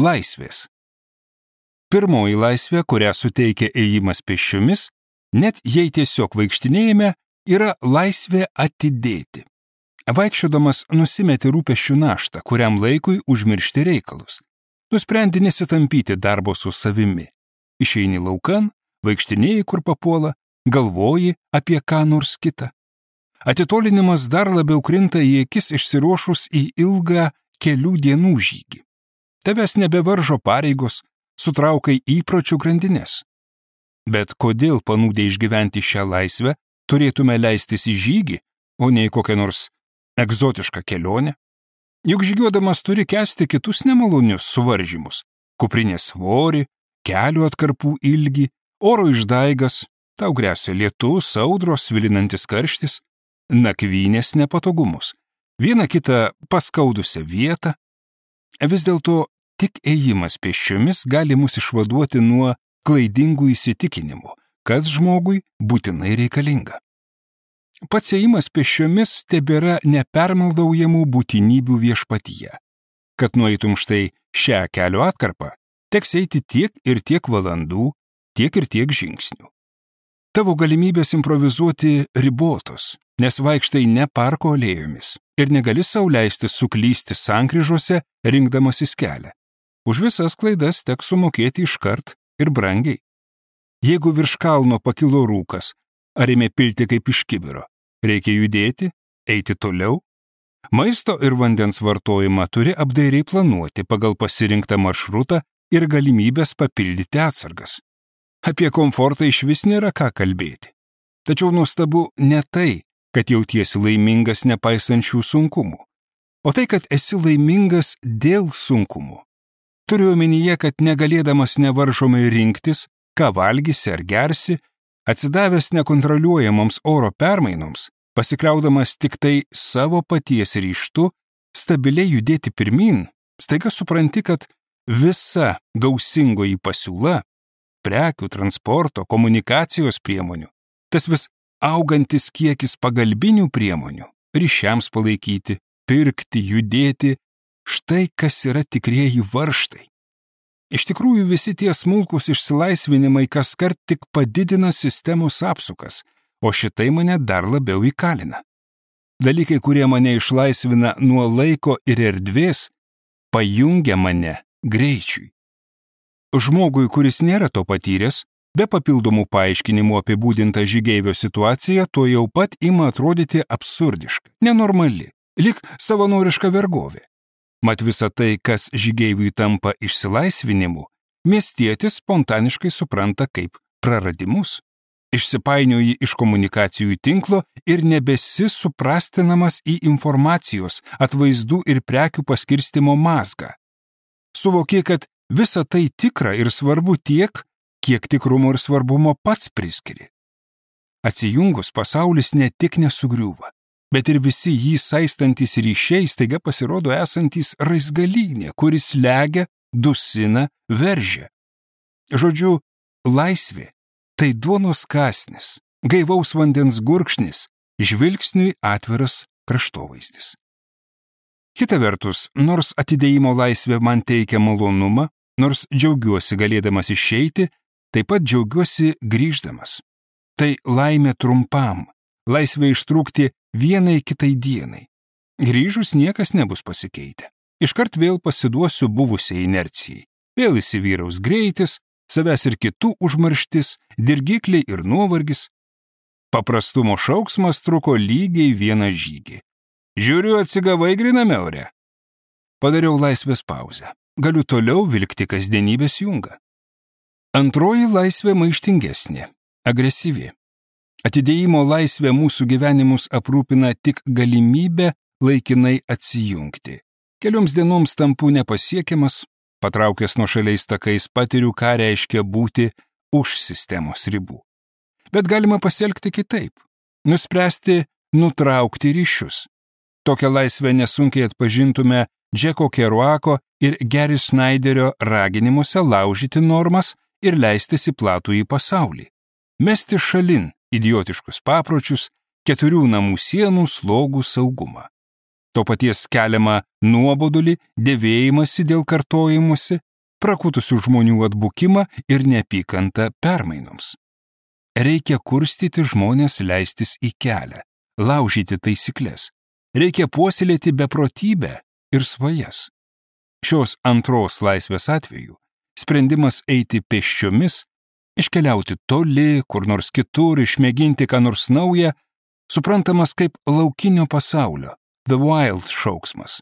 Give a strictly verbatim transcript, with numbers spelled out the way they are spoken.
laisvės. Pirmoji laisvė, kurią suteikia ėjimas pėsčiomis, net jei tiesiog vaikštinėjame, yra laisvė atidėti. Vaikščiodamas nusimeti rūpesčių naštą, kuriam laikui užmiršti reikalus. Nusprendi nesitampyti darbo su savimi. Išeini laukan, vaikštinėjai kur papuola, galvoji apie ką nors kitą. Atitolinimas dar labiau krinta į akis išsiruošus į ilgą kelių dienų žygį. Tavęs nebevaržo pareigos, sutraukai įpročių grandinės. Bet kodėl panūdę išgyventi šią laisvę turėtume leistis į žygį, o ne į kokią nors egzotišką kelionę? Juk žygiuodamas turi kęsti kitus nemalonius suvaržymus – kuprinės svorį, kelių atkarpų ilgį, oro išdaigas, tau gresia lietus, audros, svilinantis karštis, nakvynės nepatogumus, vieną kitą paskaudusią vietą. Vis dėlto tik ėjimas pėsčiomis gali mus išvaduoti nuo klaidingų įsitikinimų, kas žmogui būtinai reikalinga. Pats ėjimas pėsčiomis tebėra nepermaldaujamų būtinybių viešpatyje. Kad nueitum štai šią kelio atkarpą, teks eiti tiek ir tiek valandų, tiek ir tiek žingsnių. Tavo galimybės improvizuoti ribotos, nes vaikštai ne parko alėjomis ir negali sau leisti suklysti sankryžose, rinkdamasis kelią. Už visas klaidas teks sumokėti iškart ir brangiai. Jeigu virš kalno pakilo rūkas, ar ėmė pilti kaip iš kibiro, reikia judėti, eiti toliau. Maisto ir vandens vartojimą turi apdairiai planuoti pagal pasirinktą maršrutą ir galimybės papildyti atsargas. Apie komfortą išvis nėra ką kalbėti. Tačiau nuostabu ne tai, kad jautiesi laimingas nepaisant šių sunkumų, o tai, kad esi laimingas dėl sunkumų. Turiu omenyje, kad negalėdamas nevaržomai rinktis, ką valgysi ar gersi, atsidavęs nekontroliuojamoms oro permainoms, pasikliaudamas tik tai savo paties ryžtu, stabiliai judėti pirmyn, staiga supranti, kad visa gausingoji pasiūla, prekių, transporto, komunikacijos priemonių, tas vis augantis kiekis pagalbinių priemonių, ryšiams palaikyti, pirkti, judėti, štai kas yra tikrieji varžtai. Iš tikrųjų visi tie smulkus išsilaisvinimai kaskart tik padidina sistemos apsukas, o šitai mane dar labiau įkalina. Dalykai, kurie mane išlaisvina nuo laiko ir erdvės, pajungia mane greičiui. Žmogui, kuris nėra to patyręs, be papildomų paaiškinimų apibūdinta žygeivio situacija, to jau pat ima atrodyti absurdiška, nenormali, lyg savanoriška vergovė. Mat visa tai, kas žygeiviui tampa išsilaisvinimu, miestietis spontaniškai supranta kaip praradimus. Išsipainioji iš komunikacijų tinklo ir nebesi suprastinamas į informacijos, atvaizdų ir prekių paskirstimo mazgą. Suvoki, kad visa tai tikra ir svarbu tiek, kiek tikrumo ir svarbumo pats priskiri. Atsijungus pasaulis ne tik nesugriūva, bet ir visi jį saistantys ryšiai staiga pasirodo esantys raizgalynė, kuris slegia, dusina, veržia. Žodžiu, laisvė – tai duonos kąsnis, gaivaus vandens gurkšnis, žvilgsniui atviras kraštovaizdis. Kita vertus, nors atidėjimo laisvė man teikia malonumą, nors džiaugiuosi galėdamas išeiti, taip pat džiaugiuosi grįždamas. Tai laimė trumpam, laisvė ištrūkti vienai kitai dienai. Grįžus niekas nebus pasikeitę. Iškart vėl pasiduosiu buvusiai inercijai. Vėl įsivyraus greitis, savęs ir kitų užmarštis, dirgikliai ir nuovargis. Paprastumo šauksmas truko lygiai vieną žygį. Žiūriu, atsigavai gryname ore. Padariau laisvės pauzę. Galiu toliau vilkti kasdienybės jungą. Antroji laisvė maištingesnė, agresyvi. Atidėjimo laisvė mūsų gyvenimus aprūpina tik galimybę laikinai atsijungti. Kelioms dienoms tampu nepasiekiamas, patraukęs nuošaliais takais patiriu, ką reiškia būti už sistemos ribų. Bet galima pasielgti kitaip, nuspręsti nutraukti ryšius. Tokią laisvę nesunkiai atpažintume Džeko Keruako ir Gary Snyderio raginimuose laužyti normas ir leistis į platųjį pasaulį. Mesti šalin idiotiškus papročius, keturių namų sienų slogų saugumą. To paties keliamą nuobodulį, dėvėjimąsi dėl kartojimusi, prakutusių žmonių atbukimą ir neapykantą permainoms. Reikia kurstyti žmonės leistis į kelią, laužyti taisyklės. Reikia puoselėti beprotybę ir svajas. Šios antros laisvės atveju sprendimas eiti pėsčiomis, iškeliauti toli, kur nors kitur, išmėginti ką nors naują, suprantamas kaip laukinio pasaulio, the wild šauksmas.